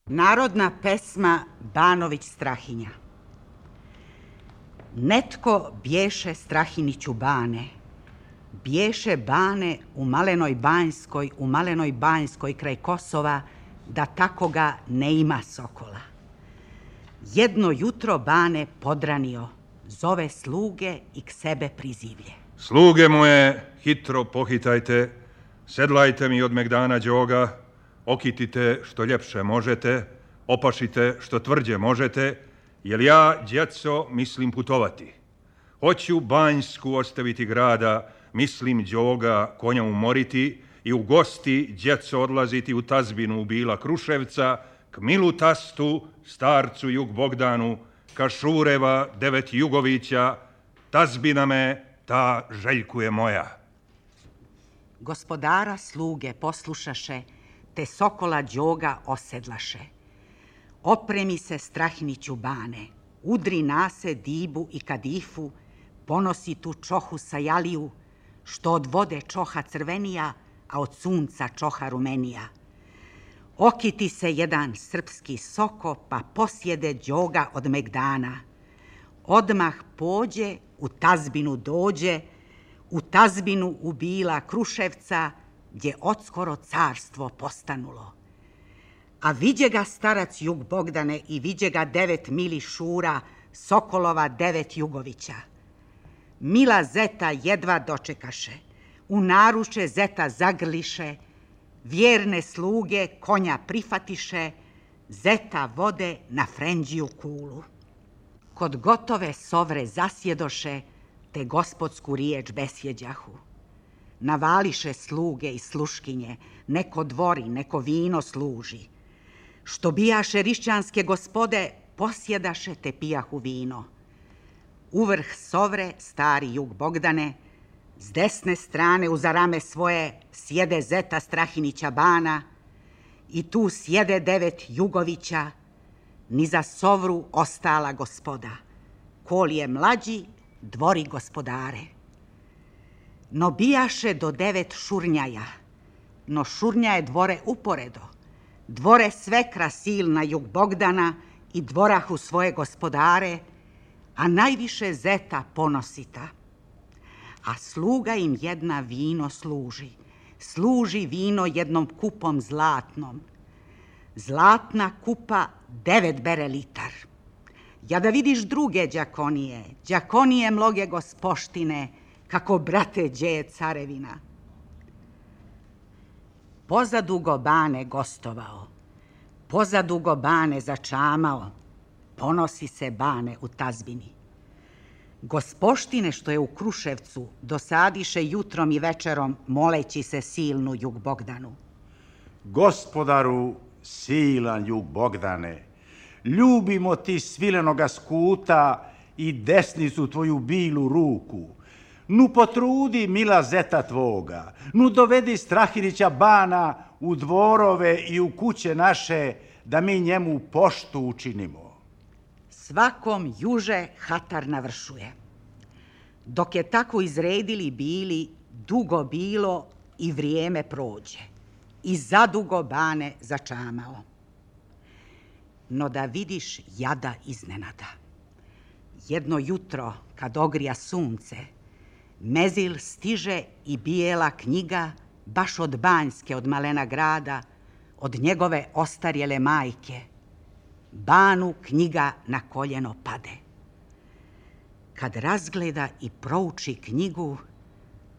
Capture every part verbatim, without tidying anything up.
Narodna pesma Banović Strahinja. Netko bješe Strahiniću Bane, bješe Bane u Malenoj Banjskoj, u Malenoj Banjskoj kraj Kosova, da tako ga ne ima sokola. Jedno jutro Bane podranio, zove sluge i k sebe prizivlje. Sluge moje, hitro pohitajte, sedlajte mi od megdana đoga, okitite što ljepše možete, opašite što tvrđe možete, jer ja, djeco, mislim putovati. Hoću Banjsku ostaviti grada, mislim đoga konja umoriti i u gosti, djeco, odlaziti u tazbinu u Bila Kruševca, k milu tastu, starcu Jug Bogdanu, ka Šureva, devet Jugovića, tazbina me, ta željkuje moja. Gospodara sluge poslušaše, te sokola đoga osedlaše. Opremi se Strahiniću Bane, udri nase dibu i kadifu, ponosi tu čohu sajaliju, što od vode čoha crvenija, a od sunca čoha rumenija. Okiti se jedan srpski soko, pa posjede đoga od megdana. Odmah pođe, u tazbinu dođe, u tazbinu u Bila Kruševca, gdje odskoro carstvo postanulo. A viđe ga starac Jug Bogdane i viđe ga devet mili Šura, sokolova devet Jugovića. Mila zeta jedva dočekaše, u naruče zeta zagrliše, vjerne sluge konja prifatiše, zeta vode na frendžiju kulu. Kod gotove sovre zasjedoše, te gospodsku riječ besjeđahu. Navališe sluge i sluškinje, neko dvori, neko vino služi. Što bijaše rišćanske gospode, posjedaše te pijahu vino. Uvrh sovre, stari Jug Bogdane, s desne strane uza rame svoje sjede zeta Strahinića Bana i tu sjede devet Jugovića, ni za sovru ostala gospoda. Kol je mlađi, dvori gospodare. No bijaše do devet Šurnjaja, no Šurnjaje dvore uporedo, dvore svekra silna Jug Bogdana i dvorahu svoje gospodare, a najviše zeta ponosita. A sluga im jedna vino služi, služi vino jednom kupom zlatnom. Zlatna kupa devet bere litar. Ja da vidiš druge đakonije, đakonije mloge gospoštine, kako brate džeje carevina. Pozadugo Bane gostovao, pozadugo Bane začamao, ponosi se Bane u tazbini. Gospoštine što je u Kruševcu dosadiše jutrom i večerom moleći se silnu Jug Bogdanu. Gospodaru, silan Jug Bogdane, ljubimo ti svilenoga skuta i desnicu tvoju bilu ruku. Nu potrudi mila zeta tvoga, nu dovedi Strahinića Bana u dvorove i u kuće naše, da mi njemu poštu učinimo. Svakom juže hatar navršuje. Dok je tako izredili bili, dugo bilo i vrijeme prođe. I zadugo Bane začamao. No da vidiš jada iznenada. Jedno jutro, kad ogrija sunce, mezil stiže i bijela knjiga, baš od Banjske, od malena grada, od njegove ostarjele majke. Banu knjiga na koljeno pade. Kad razgleda i prouči knjigu,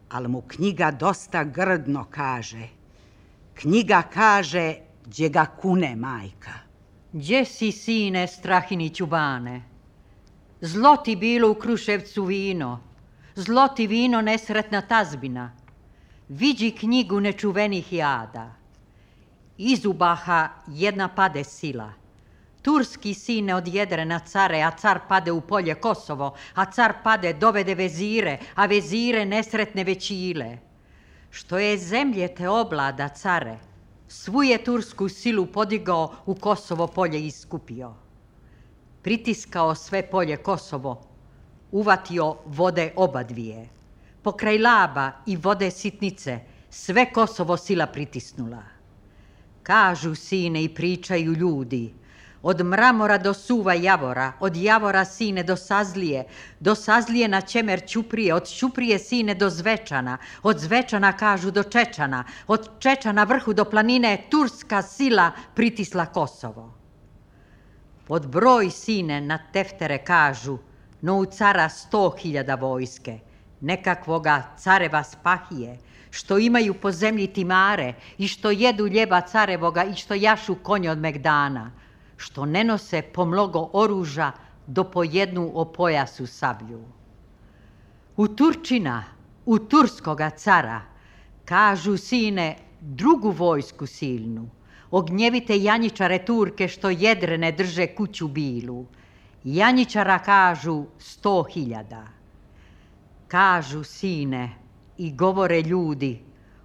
al mu knjiga dosta grdno kaže. Knjiga kaže, gdje ga kune majka. Gdje si, sine Strahiniću Bane? Zlo ti bilo u Kruševcu vino, zlo ti vino nesretna tazbina. Viđi knjigu nečuvenih jada. Izubaha jedna pade sila. Turski sine odjedre na care, a car pade u polje Kosovo, a car pade dovede vezire, a vezire nesretne većile. Što je zemlje te oblada, care, svu je tursku silu podigao, u Kosovo polje iskupio. Pritiskao sve polje Kosovo, uvatio vode oba dvije. Pokraj Laba i vode Sitnice sve Kosovo sila pritisnula. Kažu, sine, i pričaju ljudi. Od mramora do suva javora, od javora, sine, do Sazlije, do Sazlije na Čemer Ćuprije, od Ćuprije, sine, do Zvečana, od Zvečana, kažu, do Čečana, od Čečana vrhu do planine turska sila pritisla Kosovo. Pod broj, sine, na teftere kažu, no u cara sto hiljada vojske, nekakvoga careva Spahije, što imaju po zemlji timare i što jedu ljeba carevoga i što jašu konje od Megdana, što ne nose po mnogo oruža do po jednu o pojasu sablju. U Turčina, u turskoga cara, kažu, sine, drugu vojsku silnu, ognjevite janjičare Turke što jedrene drže kuću bilu. Janjičara kažu sto hiljada. Kažu, sine, i govore ljudi,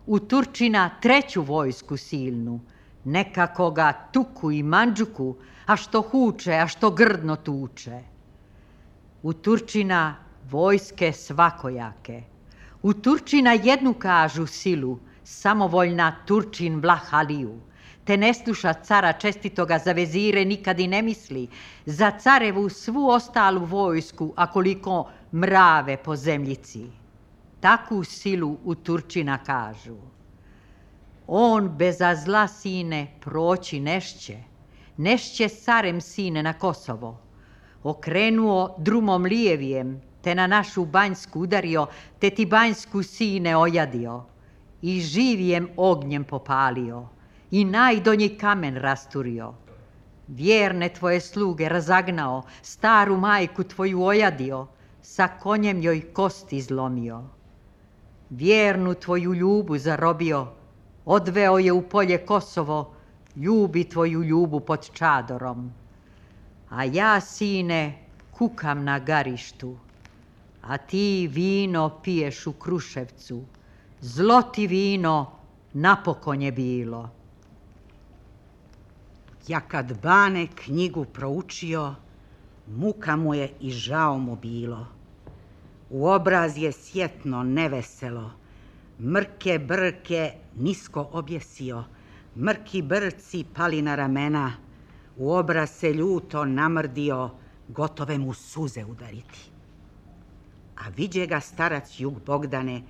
u Turčina treću vojsku silnu, nekakoga Tuku i Mandžuku, a što huče, a što grdno tuče. U Turčina vojske svakojake. U Turčina jednu kažu silu, samovoljna Turčin Vlah Aliju, te ne sluša cara čestitoga za vezire nikad i ne misli, za carevu svu ostalu vojsku, a koliko mrave po zemljici. Takvu silu u Turčina kažu. On beza zla, sine, proći nešće, nešće carem, sine, na Kosovo. Okrenuo drumom lijevijem, te na našu Banjsku udario, te ti Banjsku, sine, ojadio. I živijem ognjem popalio, i najdonji kamen rasturio. Vjerne tvoje sluge razagnao, staru majku tvoju ojadio, sa konjem joj kosti zlomio. Vjernu tvoju ljubu zarobio, odveo je u polje Kosovo, ljubi tvoju ljubu pod čadorom. A ja, sine, kukam na garištu, a ti vino piješ u Kruševcu. Zlo ti vino napokon je bilo. Ja kad Bane knjigu proučio, muka mu je i žao mu bilo. U obraz je sjetno neveselo, mrke brke nisko objesio, mrki brci pali na ramena, u obraz se ljuto namrdio, gotove mu suze udariti. A viđe ga starac Jug Bogdane,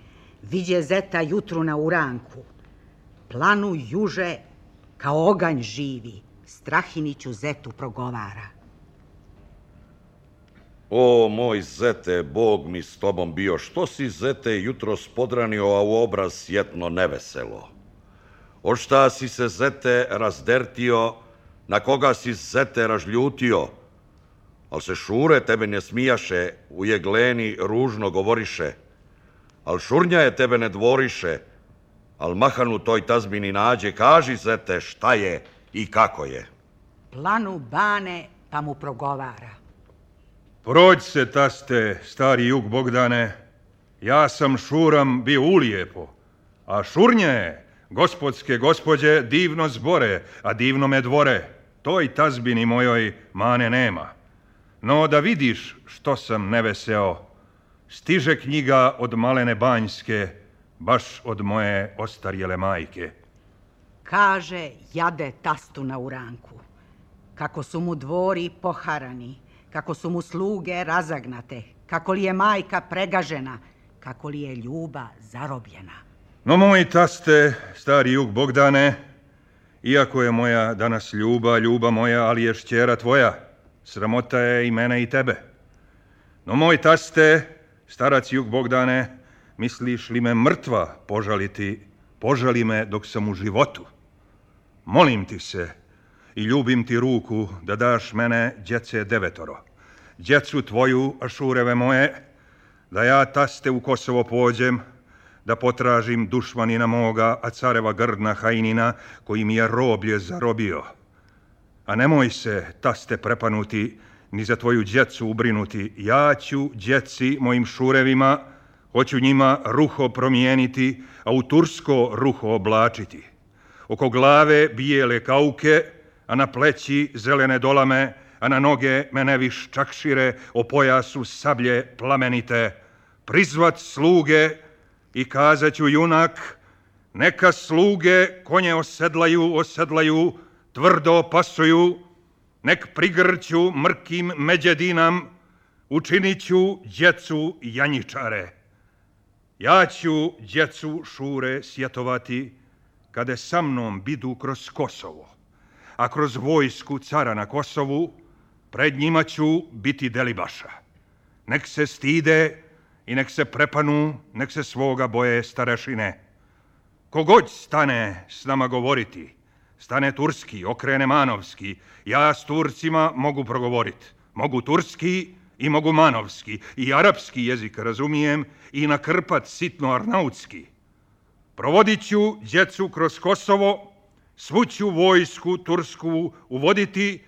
viđe zeta jutru na uranku, planu juže kao oganj živi, Strahiniću zetu progovara. O, moj zete, Bog mi s tobom bio, što si, zete, jutro spodranio, a u obraz sjetno neveselo? O šta si se, zete, razdertio, na koga si, zete, ražljutio? Al se šure tebe ne smijaše, u jegleni ružno govoriše, al šurnja je tebe ne dvoriše, al mahanu toj tazbini nađe, kaži, zete, šta je i kako je. Planu Bane pa mu progovara. Prođ se, taste, stari Jug Bogdane, ja sam šuram bio ulijepo, a šurnje, gospodske gospođe, divno zbore, a divno me dvore, toj tazbini mojoj mane nema. No da vidiš što sam neveseo, stiže knjiga od malene Banjske, baš od moje ostarjele majke. Kaže jade tastu na uranku, kako su mu dvori poharani, kako su mu sluge razagnate, kako li je majka pregažena, kako li je ljuba zarobljena. No moj taste, stari Jug Bogdane, iako je moja danas ljuba, ljuba moja, ali je šćera tvoja, sramota je i mene i tebe. No moj taste, starac Jug Bogdane, misliš li me mrtva požaliti, požali me dok sam u životu. Molim ti se i ljubim ti ruku da daš mene djece devetoro, djecu tvoju, ašureve moje, da ja, taste, u Kosovo pođem, da potražim dušmanina moga, a careva grdna Hajnina, koji mi je roblje zarobio. A nemoj se, taste, prepanuti, ni za tvoju djecu ubrinuti. Ja ću djeci mojim šurevima, hoću njima ruho promijeniti, a u tursko ruho oblačiti. Oko glave bijele kauke, a na pleći zelene dolame, a na noge meneviš čakšire, o pojasu sablje plamenite. Prizvat sluge i kazat ću, junak, Neka sluge konje osedlaju, osedlaju, tvrdo pasuju, nek prigrću mrkim međedinam, učinit ću djecu janjičare. Ja ću djecu Šure sjetovati, kada sa mnom bidu kroz Kosovo, a kroz vojsku cara na Kosovu, pred njima ću biti Delibaša. Nek se stide i nek se prepanu, nek se svoga boje starešine. Kogod stane s nama govoriti, stane turski, okrene manovski, ja s Turcima mogu progovoriti. Mogu turski i mogu manovski, i arapski jezik razumijem, i nakrpat sitno arnautski. Provodit ću djecu kroz Kosovo, svu ću vojsku tursku uvoditi,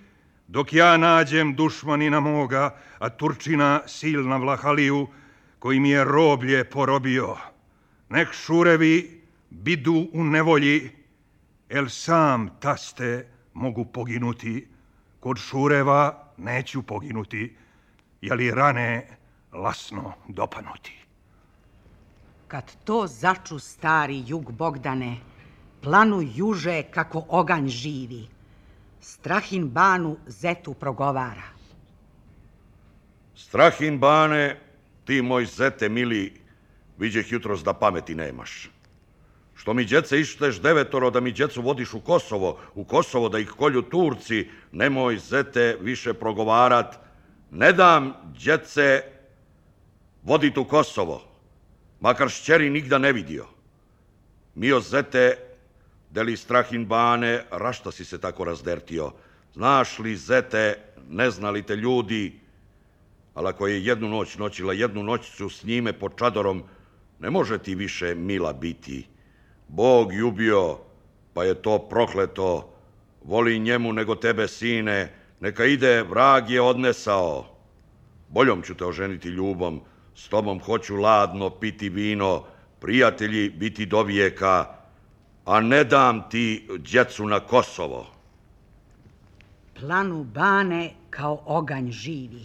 dok ja nađem dušmanina moga, a Turčina silna Vlahaliju, koji mi je roblje porobio. Nek Šurevi bidu u nevolji, el sam taste mogu poginuti, kod Šureva neću poginuti, jeli rane lasno dopanuti. Kad to začu stari jug Bogdane, planu juže kako oganj živi, Strahin Banu zetu progovara. Strahin Bane, ti moj zete mili, viđeh jutros da pameti nemaš. Što mi djece išteš devetoro da mi djecu vodiš u Kosovo, u Kosovo da ih kolju Turci, nemoj zete više progovarat, ne dam djece vodit u Kosovo, makar šćeri nigda ne vidio. Mio zete, deli Strahin Bane, rašta si se tako razdertio? Znaš li, zete, ne zna li te ljudi, ali ako je jednu noć noćila jednu noćicu s njime pod čadorom, ne može ti više mila biti. Bog ljubio, pa je to prokleto, voli njemu nego tebe, sine, neka ide, vrag je odnesao. Boljom ću te oženiti ljubom, s tobom hoću ladno piti vino, prijatelji biti do vijeka, a ne dam ti djecu na Kosovo. Planu Bane kao oganj živi.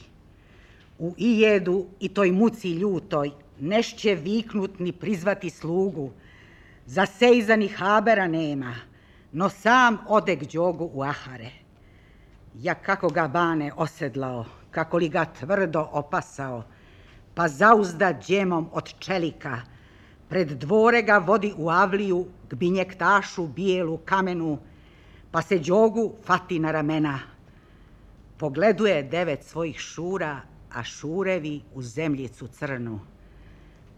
U ijedu i toj muci ljutoj nešće viknut ni prizvati slugu. Za sejzani habera nema, no sam ode k Đogu u Ahare. Ja kako ga Bane osedlao, kako li ga tvrdo opasao, pa zauzda džemom od čelika, pred dvore ga vodi u avliju k binjektašu bijelu kamenu, pa se Đogu fati na ramena. Pogleduje devet svojih šura, a šurevi u zemljicu crnu.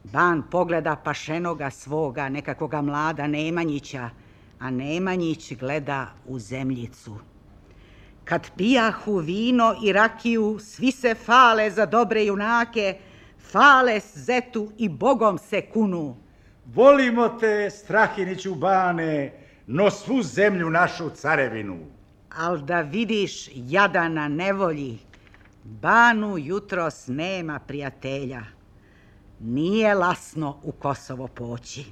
Ban pogleda pašenoga svoga, nekakvoga mlada Nemanjića, a Nemanjić gleda u zemljicu. Kad pijahu vino i rakiju, svi se fale za dobre junake, fale zetu i Bogom se kunu. Volimo te, Strahiniću Bane, no svu zemlju našu carevinu. Al da vidiš jada na nevolji, Banu jutros nema prijatelja. Nije lasno u Kosovo poći.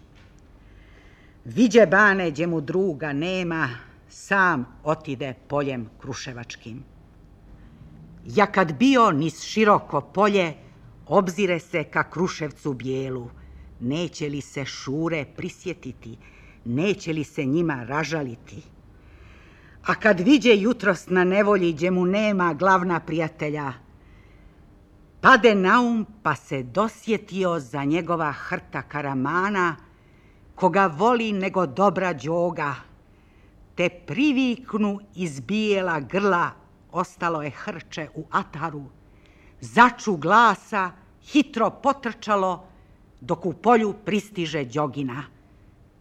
Viđe Bane gdje mu druga nema, sam otide poljem kruševačkim. Ja kad bio niz široko polje, obzire se ka Kruševcu bijelu, neće li se Šure prisjetiti, neće li se njima ražaliti. A kad viđe jutros na nevolji gdje mu nema glavna prijatelja, pade na um pa se dosjetio za njegova hrta Karamana, koga voli nego dobra Đoga, te priviknu iz bijela grla, ostalo je hrče u ataru, začu glasa, hitro potrčalo, dok u polju pristiže Đogina.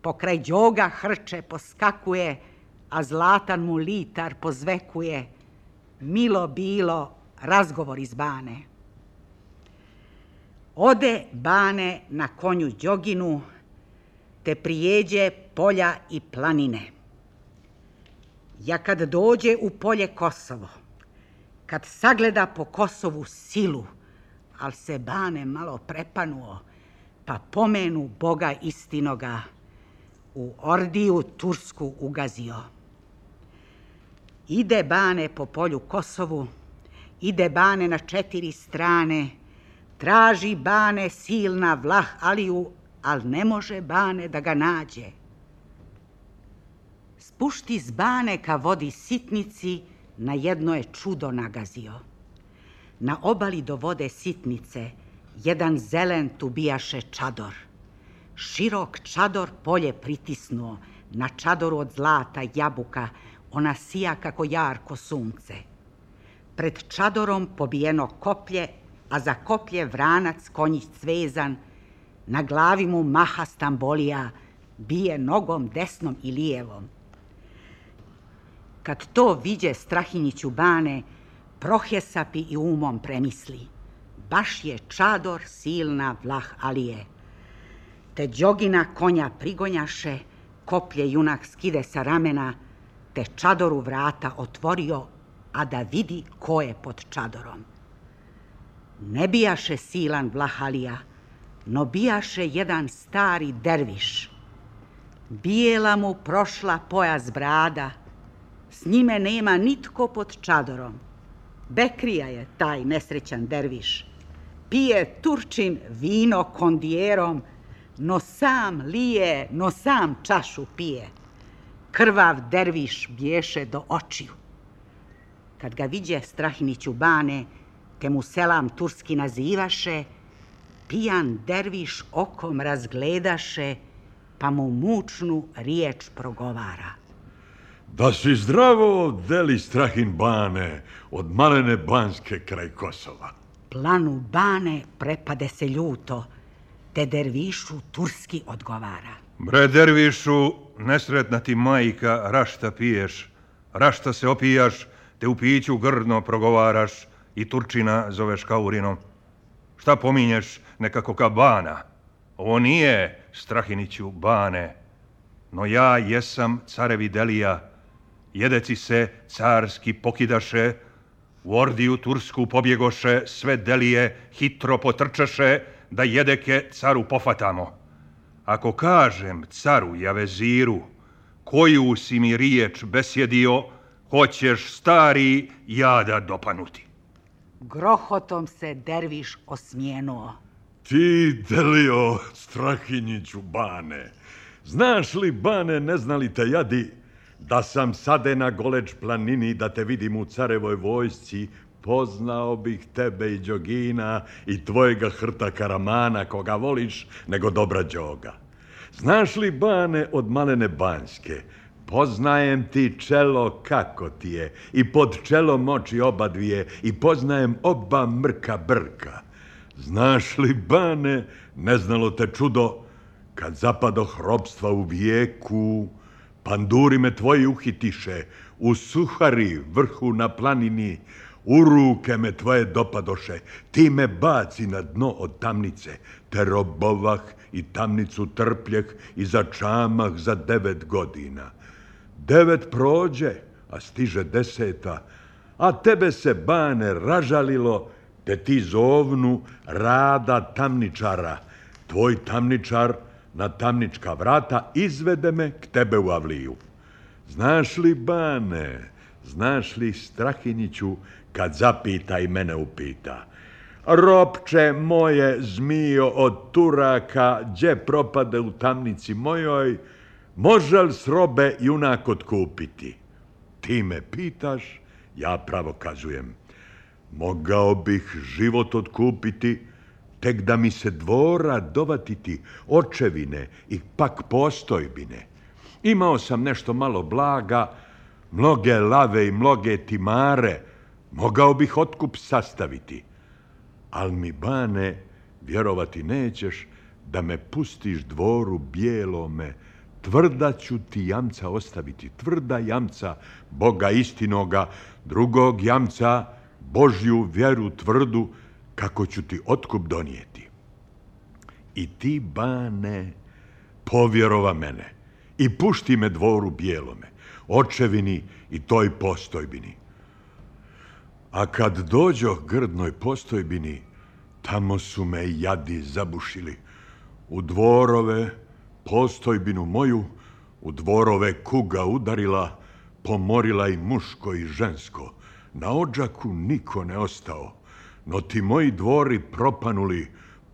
Pokraj Đoga hrče poskakuje, a zlatan mu litar pozvekuje, milo bilo razgovor iz Bane. Ode Bane na konju Đoginu, te prijeđe polja i planine. Ja kad dođe u polje Kosovo, kad sagleda po Kosovu silu, al se Bane malo prepanuo, pa pomenu Boga istinoga, u ordiju tursku ugazio. Ide Bane po polju Kosovu, ide Bane na četiri strane, traži Bane silna Vlah Aliju, al ne može Bane da ga nađe. Spušti z bane ka vodi Sitnici, na jedno je čudo nagazio. Na obali do vode Sitnice, jedan zelen tu bijaše čador. Širok čador polje pritisnuo, na čadoru od zlata jabuka, ona sija kako jarko sunce. Pred čadorom pobijeno koplje, a za koplje vranac konjić cvezan, na glavi mu maha stambolija, bije nogom desnom i lijevom. Kad to viđe Strahinjiću bane, prohjesapi i umom premisli. Baš je čador silna Vlah Alije. Te đogina konja prigonjaše, koplje junak skide sa ramena, te čadoru vrata otvorio, a da vidi ko je pod čadorom. Ne bijaše silan Vlah Alija, no bijaše jedan stari derviš. Bijela mu prošla pojas brada, s njime nema nitko pod čadorom. Bekrija je taj nesrećan derviš. Pije Turčin vino kondijerom, no sam lije, no sam čašu pije. Krvav derviš bješe do očiju. Kad ga viđe Strahiniću bane, te mu selam turski nazivaše, pijan derviš okom razgledaše, pa mu mučnu riječ progovara. Da si zdravo, deli Strahin bane, od malene Banske kraj Kosova. Planu bane prepade se ljuto, te dervišu turski odgovara. Bre dervišu, nesretna ti majka, rašta piješ, rašta se opijaš, te u piću grdno progovaraš i Turčina zoveš Kaurinom. Šta pominješ nekako ka bana? Ovo nije Strahiniću bane, no ja jesam carevi delija. Jedeci se carski pokidaše, u ordiju tursku pobjegoše, sve delije hitro potrčaše, da jedeke caru pofatamo. Ako kažem caru Javeziru, koju si mi riječ besjedio, hoćeš stari jada dopanuti. Grohotom se derviš osmijenuo. Ti, delio Strahinjiću bane, znaš li bane, ne znali te jadi, da sam sade na Goleč planini, da te vidim u carevoj vojsci, poznao bih tebe i đogina i tvojega hrta Karamana, koga voliš, nego dobra đoga. Znaš li bane od malene Banske, poznajem ti čelo kako ti je, i pod čelom oči oba dvije, i poznajem oba mrka brka. Znaš li bane, ne znalo te čudo, kad zapadoh ropstva u vijeku, panduri me tvoji uhitiše, u Suhari vrhu na planini, u ruke me tvoje dopadoše, ti me baci na dno od tamnice, te robovah i tamnicu trpljeh i začamah za devet godina. Devet prođe, a stiže deseta, a tebe se bane ražalilo, te ti zovnu rada tamničara. Tvoj tamničar na tamnička vrata izvede me k tebe u avliju. Znaš li bane, znaš li Strahinjiću, kad zapita i mene upita, ropče moje zmijo od Turaka, gdje propade u tamnici mojoj, može li s robe junak otkupiti? Ti me pitaš, ja pravo kazujem, mogao bih život otkupiti, tek da mi se dvora dovatiti, očevine i pak postojbine. Imao sam nešto malo blaga, mnoge lave i mnoge timare, mogao bih otkup sastaviti. Al mi bane, vjerovati nećeš, da me pustiš dvoru bijelome, tvrda ću ti jamca ostaviti, tvrda jamca Boga istinoga, drugog jamca Božju vjeru tvrdu, kako ću ti otkup donijeti. I ti, bane, povjerova mene i pušti me dvoru bijelome, očevini i toj postojbini. A kad dođoh grdnoj postojbini, tamo su me jadi zabušili. U dvorove postojbinu moju, u dvorove kuga udarila, pomorila i muško i žensko. Na odžaku niko ne ostao, no ti moji dvori propanuli,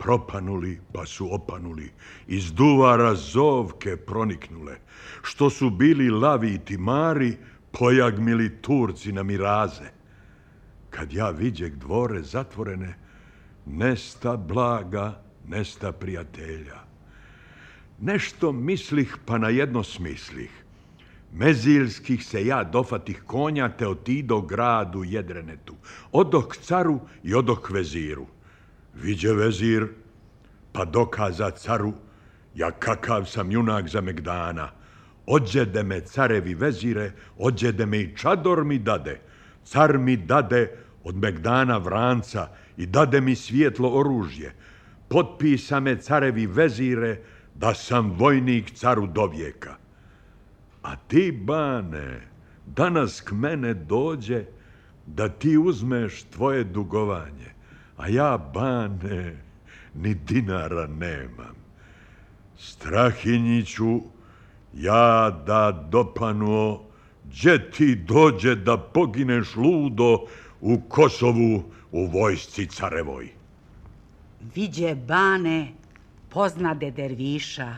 propanuli pa su opanuli, iz duvara zovke proniknule, što su bili lavi i timari, pojagmili Turci na miraze. Kad ja viđeg dvore zatvorene, nesta blaga, nesta prijatelja. Nešto mislih pa na jedno smislih. Meziljskih se ja dofatih konja te otido gradu Jedrenetu, odok caru i odok veziru. Viđe vezir, pa dokaza caru, ja kakav sam junak za Megdana. Ođede me carevi vezire, ođede me i čador mi dade. Car mi dade od Megdana vranca i dade mi svijetlo oružje. Potpisa me carevi vezire da sam vojnik caru do vijeka. A ti, bane, danas k mene dođe da ti uzmeš tvoje dugovanje, a ja, bane, ni dinara nemam. Strahinjiću, ja da dopanuo, gdje ti dođe da pogineš ludo u Kosovu u vojsci carevoj. Viđe, bane, poznade derviša,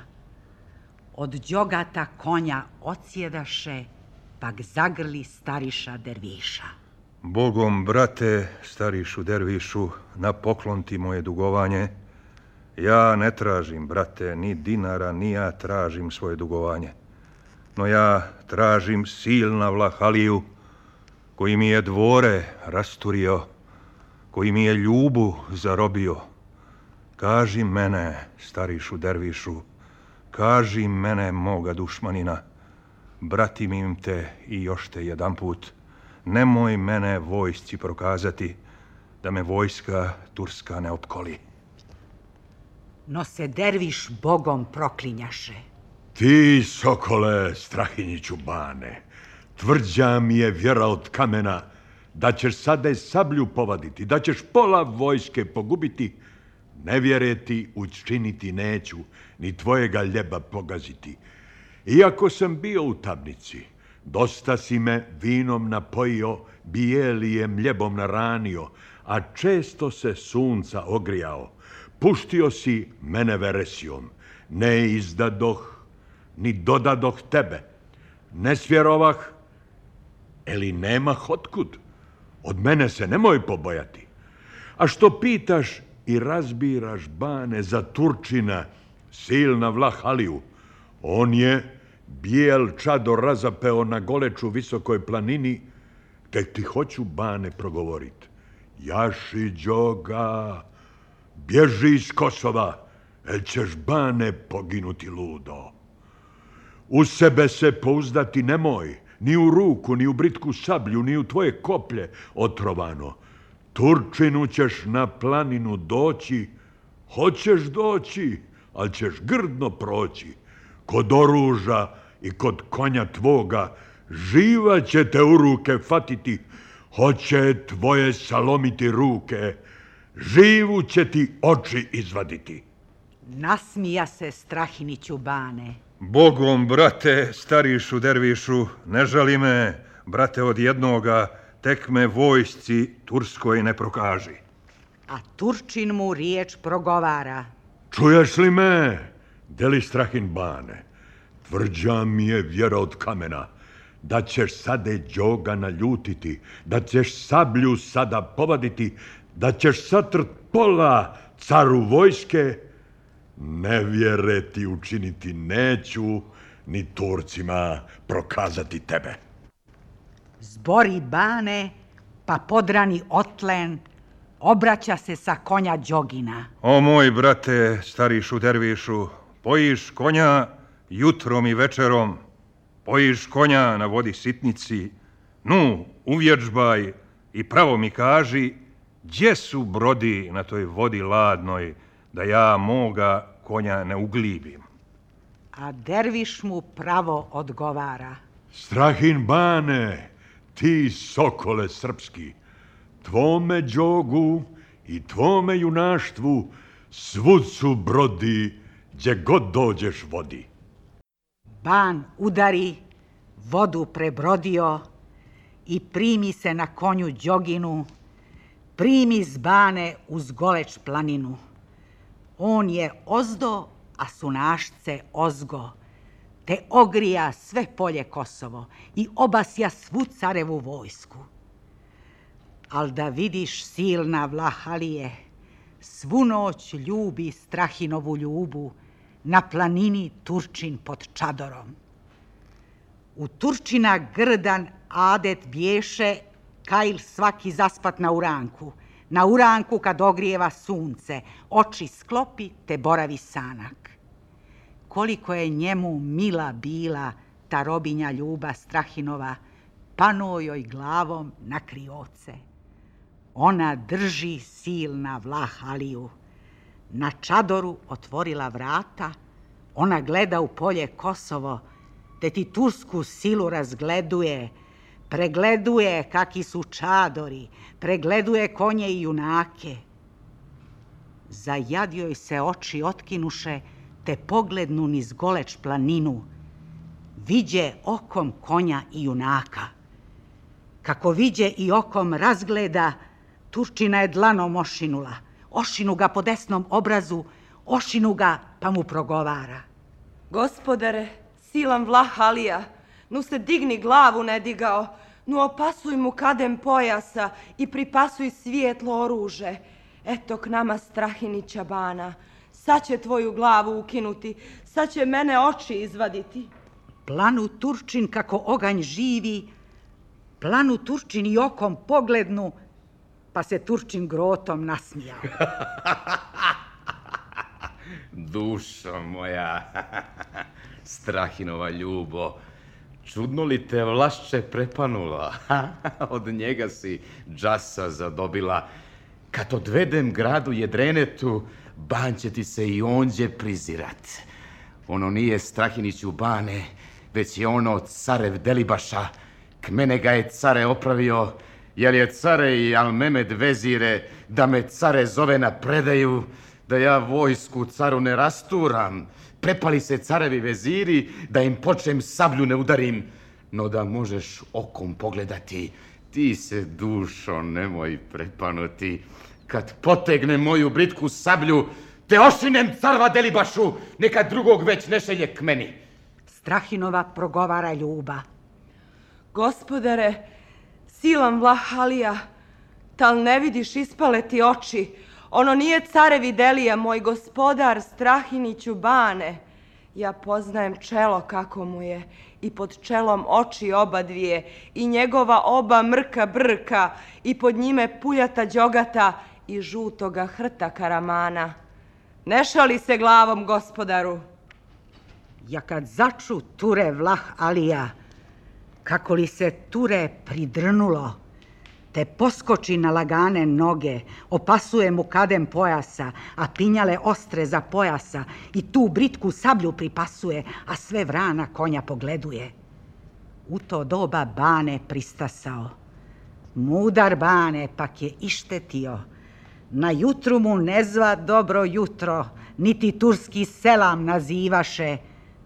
od đogata konja odsjedaše, pak zagrli stariša derviša. Bogom, brate, starišu dervišu, na poklon ti moje dugovanje. Ja ne tražim, brate, ni dinara, ni ja tražim svoje dugovanje. No ja tražim silna Vlahaliju, koji mi je dvore rasturio, koji mi je ljubu zarobio. Kaži mene, starišu dervišu, kaži mene, moga dušmanina, bratim im te i još te jedan put, nemoj mene vojsci prokazati, da me vojska turska ne opkoli. No se derviš Bogom proklinjaše. Ti, sokole, Strahinjiću, bane, tvrđa mi je vjera od kamena da ćeš sada sablju povaditi, da ćeš pola vojske pogubiti. Ne vjereti učiniti neću, ni tvojega ljeba pogaziti. Iako sam bio u tamnici, dosta si me vinom napojio, bijelijem ljebom naranio, a često se sunca ogrijao. Puštio si mene veresijom, ne izdadoh, ni dodadoh tebe. Ne svjerovah, eli nemah otkud. Od mene se nemoj pobojati. A što pitaš i razbiraš, bane, za Turčina, silna Vlahaliju, on je bijel čador razapeo na goleču visokoj planini, tek ti hoću, bane, progovorit. Jaši đoga, bježi iz Kosova, el ćeš, bane, poginuti ludo. U sebe se pouzdati nemoj, ni u ruku, ni u britku sablju, ni u tvoje koplje otrovano. Turčinu ćeš na planinu doći, hoćeš doći, ali ćeš grdno proći. Kod oruža i kod konja tvoga živa će te u ruke fatiti, hoće tvoje salomiti ruke, živu će ti oči izvaditi. Nasmija se Strahiniću, bane. Bogom, brate, starišu dervišu, ne žali me, brate, od jednoga, tek me vojsci turskoj ne prokaži. A Turčin mu riječ progovara. Čuješ li me, deli Strahin, bane? Tvrđa mi je vjera od kamena, da ćeš sade đoga naljutiti, da ćeš sablju sada povaditi, da ćeš satrt pola caru vojske. Ne vjere ti učiniti neću, ni Turcima prokazati tebe. Zbori, bane, pa podrani otlen, obraća se sa konja đogina. O moj brate, starišu dervišu, pojiš konja jutrom i večerom, pojiš konja na vodi sitnici, nu, uvježbaj i pravo mi kaži, gdje su brodi na toj vodi ladnoj, da ja moga konja ne uglibim. A derviš mu pravo odgovara. Strahin, bane, ti sokole srpski, tvome đogu i tvome junaštvu svud su brodi, gdje god dođeš vodi. Ban udari, vodu prebrodio i primi se na konju đoginu, primi z bane uz goleč planinu. On je ozdo, a sunašce ozgo, te ogrija sve polje Kosovo i obasja svu carevu vojsku. Al da vidiš silna Vlahalije, svu noć ljubi Strahinovu ljubu na planini Turčin pod čadorom. U Turčina grdan adet bješe kajl svaki zaspat na uranku, na uranku kad ogrijeva sunce, oči sklopi te boravi sanak. Koliko je njemu mila bila ta robinja ljuba Strahinova, pano joj glavom na krioce. Ona drži silna Vlahaliju. Na čadoru otvorila vrata, ona gleda u polje Kosovo, te ti tursku silu razgleduje, pregleduje kaki su čadori, pregleduje konje i junake. Za jad joj se oči otkinuše, te poglednu niz Goleč planinu, viđe okom konja i junaka. Kako viđe i okom razgleda, Turčina je dlanom ošinula, ošinu ga po desnom obrazu, ošinu ga pa mu progovara. Gospodare, silan Vlahalija, nu se digni glavu ne digao, nu opasuj mu kadem pojasa i pripasuj svijetlo oruže. Eto k nama Strahinića bana, sad će tvoju glavu ukinuti, sad će mene oči izvaditi. Planu Turčin kako oganj živi, planu Turčin i okom poglednu, pa se Turčin grotom nasmijao. Dušo moja, Strahinova ljubo, čudno li te Vlašće prepanula? Od njega si džasa zadobila. Kad odvedem gradu Jedrenetu, ban će ti se i onđe prizirat. Ono nije Strahiniću bane, već je ono carev Delibaša. K mene ga je care opravio, jer je care i Almemed vezire da me care zove na predaju, da ja vojsku caru ne rasturam. Prepali se carevi veziri, da im počnem sablju ne udarim, no da možeš okom pogledati, ti se dušo nemoj prepanuti. Kad potegne moju britku sablju, te ošinem carva Delibašu, neka drugog već ne šelje k meni. Strahinova progovara ljuba. Gospodare, silan Vlahalija, tal ne vidiš ispale ti oči? Ono nije carevi Delija, moj gospodar Strahiniću bane. Ja poznajem čelo kako mu je i pod čelom oči oba dvije i njegova oba mrka brka i pod njime puljata đogata i žutoga hrta karamana. Ne šali se glavom, gospodaru. Ja kad začu ture Vlahalija, kako li se ture pridrnulo, te poskoči na lagane noge, opasuje mu kadem pojasa, a pinjale ostre za pojasa i tu britku sablju pripasuje, a sve vrana konja pogleduje. U to doba bane pristasao. Mudar bane pak je ištetio. Na jutru mu ne zva dobro jutro, niti turski selam nazivaše,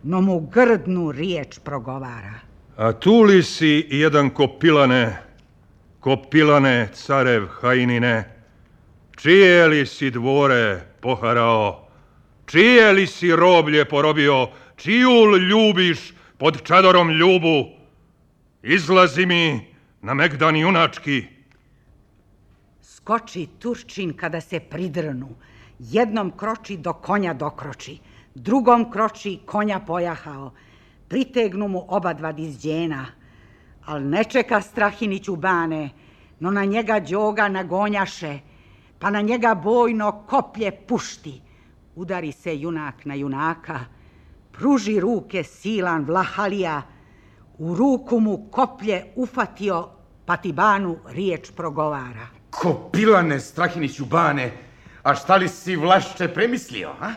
no mu grdnu riječ progovara. A tu li si jedan Kopilane, Kopilane, carev Hajnine, čije li si dvore poharao, čije li si roblje porobio, čiju ljubiš pod čadorom ljubu? Izlazi mi na megdan junački. Skoči Turčin kada se pridrnu, jednom kroči do konja dokroči, drugom kroči konja pojahao, pritegnu mu oba dva dizđena, al ne čeka Strahiniću bane, no na njega đoga nagonjaše, pa na njega bojno koplje pušti. Udari se junak na junaka, pruži ruke silan Vlahalija, u ruku mu koplje ufatio, pa ti banu riječ progovara. Kopilane, Strahiniću bane, a šta li si Vlašće premislio, a?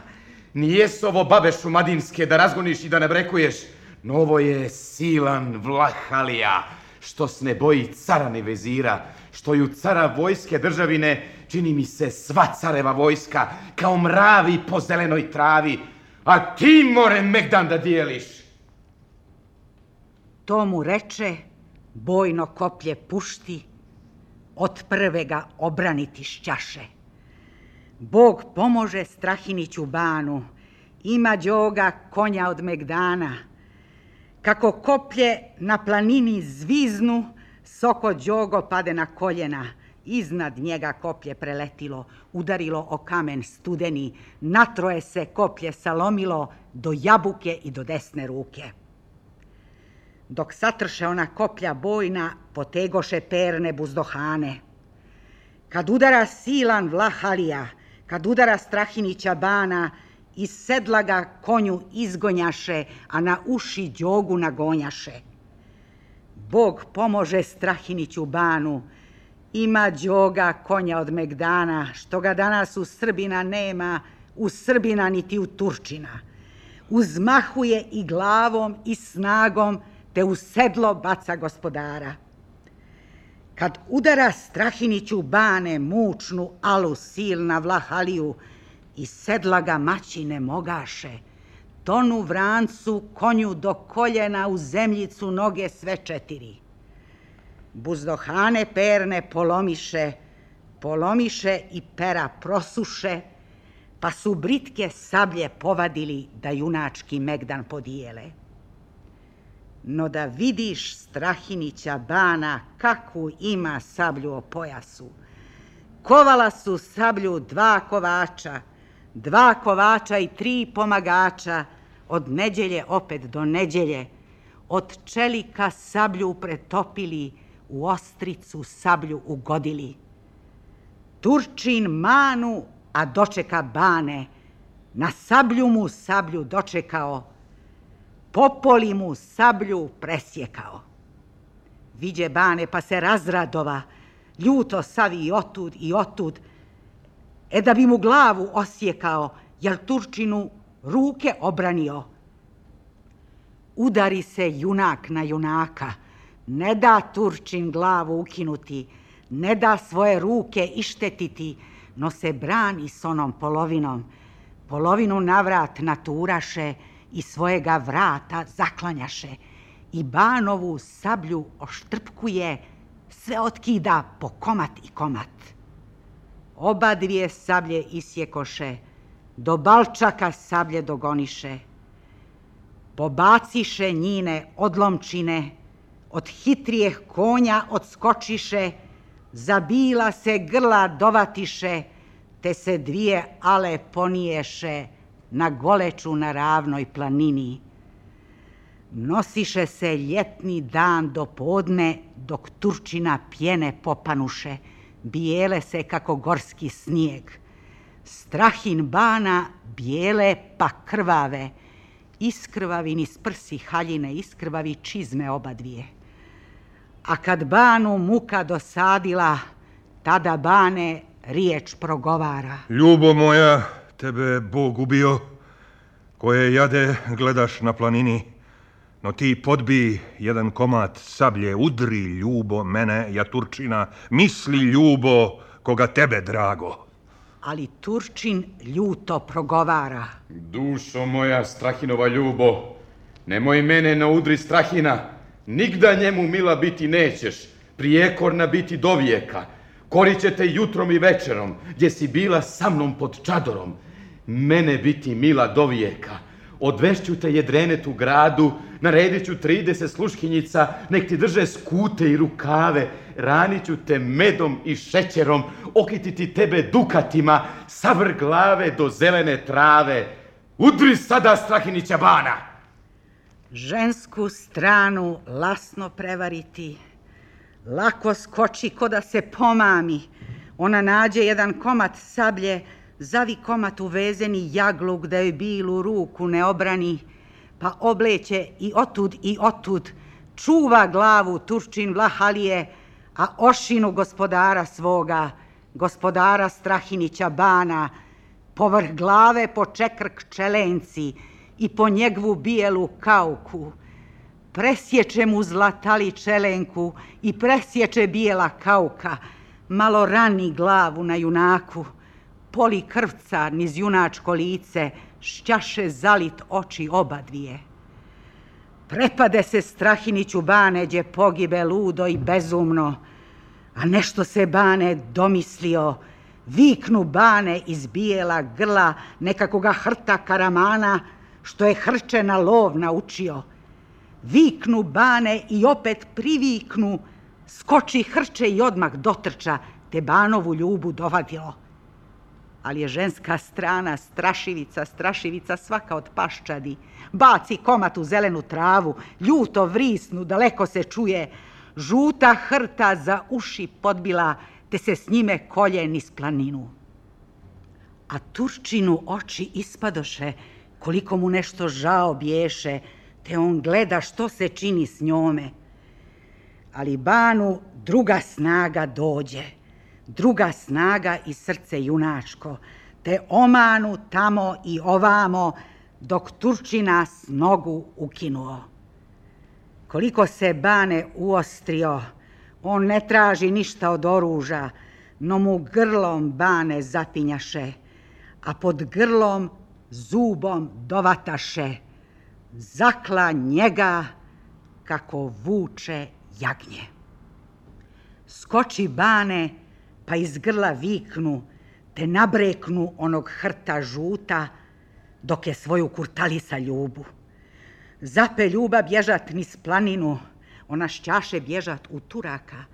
Nijesu ovo babe šumadinske da razgoniš i da ne brekuješ, no ovo je silan Vlahalija, što s ne boji cara ni vezira, što ju cara vojske državine čini mi se sva careva vojska, kao mravi po zelenoj travi, a ti more megdan da dijeliš. To mu reče, bojno koplje pušti, od prve ga obraniti šćaše. Bog pomože Strahiniću banu, ima đoga konja od megdana. Kako koplje na planini zviznu, soko đogo pade na koljena. Iznad njega koplje preletilo, udarilo o kamen studeni, natroje se koplje salomilo do jabuke i do desne ruke. Dok satrše ona koplja bojna, potegoše perne buzdohane. Kad udara silan Vlahalija, kad udara Strahinića bana, iz sedla ga konju izgonjaše, a na uši đogu nagonjaše. Bog pomože Strahiniću banu, ima đoga konja od megdana, što ga danas u Srbina nema, u Srbina niti u Turčina. Uzmahuje i glavom i snagom, te u sedlo baca gospodara. Kad udara Strahiniću bane mučnu alu silna Vlahaliju, iz sedla ga maći ne mogaše, tonu vrancu konju do koljena u zemljicu noge sve četiri. Buzdohane perne polomiše, polomiše i pera prosuše, pa su britke sablje povadili da junački megdan podijele. No da vidiš Strahinića bana kakvu ima sablju o pojasu. Kovala su sablju dva kovača, dva kovača i tri pomagača, od neđelje opet do neđelje, od čelika sablju pretopili, u ostricu sablju ugodili. Turčin manu, a dočeka bane, na sablju mu sablju dočekao, popoli mu sablju presjekao. Viđe bane pa se razradova, ljuto savi i otud i otud, e da bi mu glavu osjekao, jel Turčinu ruke obranio. Udari se junak na junaka, ne da Turčin glavu ukinuti, ne da svoje ruke ištetiti, no se brani s onom polovinom. Polovinu navrat naturaše i svojega vrata zaklanjaše i banovu sablju oštrpkuje, sve otkida po komat i komat. Oba dvije sablje isjekoše, do balčaka sablje dogoniše. Pobaciše njine odlomčine, od hitrijeh konja odskočiše, zabila se grla dovatiše, te se dvije ale poniješe na goleču na ravnoj planini. Nosiše se ljetni dan do podne, dok Turčina pjene popanuše, bijele se kako gorski snijeg. Strahin bana bijele pa krvave, iskrvavi niz prsi haljine, iskrvavi čizme oba dvije. A kad banu muka dosadila, tada bane riječ progovara. Ljubo moja, tebe Bog ubio, koje jade gledaš na planini, no ti podbi jedan komad sablje, udri ljubo mene, ja Turčina, misli ljubo koga tebe drago. Ali Turčin ljuto progovara. Dušo moja, Strahinova ljubo, nemoj mene na udri Strahina, nigda njemu mila biti nećeš, prijekorna biti do vijeka. Korit će te jutrom i večerom, gdje si bila sa mnom pod čadorom. Mene biti mila do vijeka. Odvešću te jedrenetu gradu, naredit ću trideset sluškinjica, nek ti drže skute i rukave, ranit ću te medom i šećerom, okititi tebe dukatima, savr glave do zelene trave. Udri sada Strahinića bana! Žensku stranu lasno prevariti, lako skoči ko da se pomami. Ona nađe jedan komad sablje, zavi komad uvezeni jagluk da joj bilu ruku ne obrani, pa obleće i otud i otud, čuva glavu Turčin Vlahalije, a ošinu gospodara svoga, gospodara Strahinića bana, povrh glave po čekrk čelenci i po njegovu bijelu kauku. Presječe mu zlatali čelenku i presječe bijela kauka, malo rani glavu na junaku, poli krvca niz junačko lice, šćaše zalit oči oba dvije. Prepade se Strahiniću bane, gdje pogibe ludo i bezumno, a nešto se bane domislio, Viknu bane iz bijela grla nekakoga hrta karamana, što je hrče na lov naučio. Viknu bane i opet priviknu, skoči hrče i odmah dotrča, te banovu ljubu dovadilo. Ali je ženska strana strašivica, strašivica svaka od paščadi. Baci komad u zelenu travu, ljuto vrisnu, daleko se čuje. Žuta hrta za uši podbila, te se s njime kolje niz planinu. A Turčinu oči ispadoše, koliko mu nešto žao bješe, te on gleda što se čini s njome. Ali banu druga snaga dođe, druga snaga i srce junačko, te omanu tamo i ovamo, dok Turčina s nogu ukinuo. Koliko se bane uostrio, on ne traži ništa od oruža, no mu grlom bane zapinjaše, a pod grlom zubom dovataše. Zakla njega kako vuče jagnje. Skoči bane, pa iz grla viknu, te nabreknu onog hrta žuta, dok je svoju kurtalisa ljubu. Zape ljuba bježat niz planinu, ona šćaše bježat u Turaka.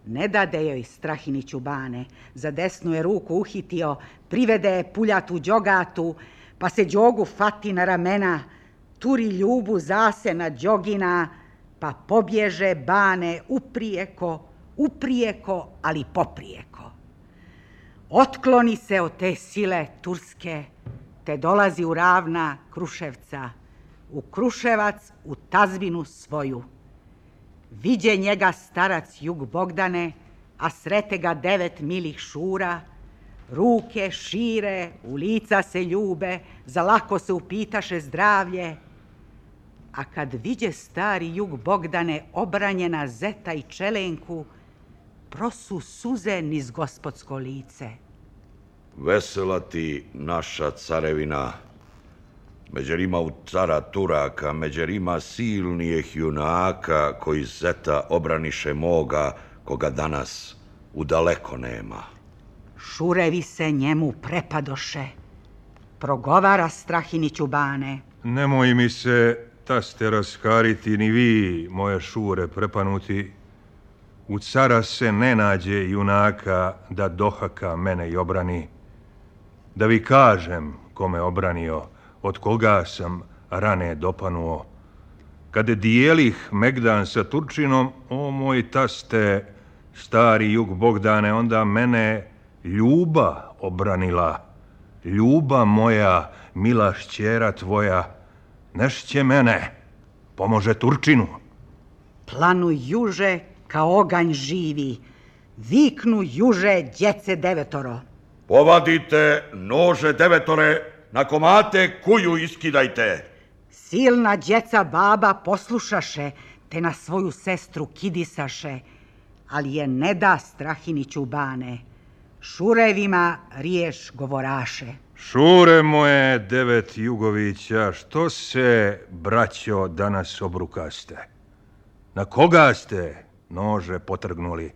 Ne dade joj Strahiniću bane, za desnu je ruku uhitio, privede je puljatu đogatu, pa se đogu fati na ramena, turi ljubu zase na đogina, pa pobježe bane uprijeko, uprijeko, ali poprijeko. Otkloni se od te sile turske, te dolazi u ravna Kruševca, u Kruševac, u tazbinu svoju. Viđe njega starac Jug Bogdane, a srete ga devet milih šura, ruke šire, u lica se ljube, za lako se upitaše zdravlje. A kad viđe stari Jug Bogdane obranjena zeta i čelenku, prosu suze niz gospodsko lice. Vesela ti naša carevina, međer ima u cara Turaka, međer ima silnijih junaka koji zeta obraniše moga, koga danas u daleko nema. Šurevi se njemu prepadoše, progovara Strahiniću bane. Nemoj mi se, taste, raskariti ni vi, moje šure prepanuti. U cara se ne nađe junaka da dohaka mene i obrani. Da vi kažem kome obranio, od koga sam rane dopanuo. Kad dijelih Megdan sa Turčinom, o moj taste, stari Jug Bogdane, onda mene ljuba obranila. Ljuba moja, mila šćera tvoja, nešće mene, pomože Turčinu. Planu juže kao oganj živi, viknu juže djece devetoro. Povadite nože devetore, na komate kuju iskidajte. Silna djeca baba poslušaše, te na svoju sestru kidisaše, ali je ne da Strahiniću bane. Šurevima riješ govoraše. Šure moje devet Jugovića, što se, braćo, danas obrukaste? Na koga ste nože potrgnuli?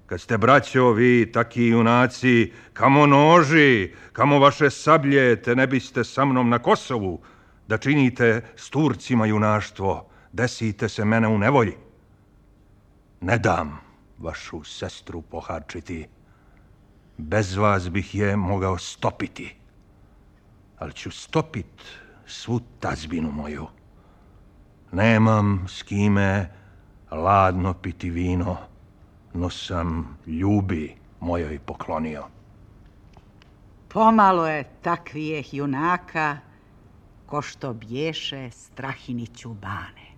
Kad ste, braćo, vi taki junaci, kamo noži, kamo vaše sablje, te ne biste sa mnom na Kosovu, da činite s Turcima junaštvo, desite se mene u nevolji. Ne dam vašu sestru poharčiti, bez vas bih je mogao stopiti, ali ću stopit svu tazbinu moju. Nemam s kime ladno piti vino, no sam ljubi mojoj poklonio. Pomalo je takvijeh junaka, ko što bješe Strahiniću bane.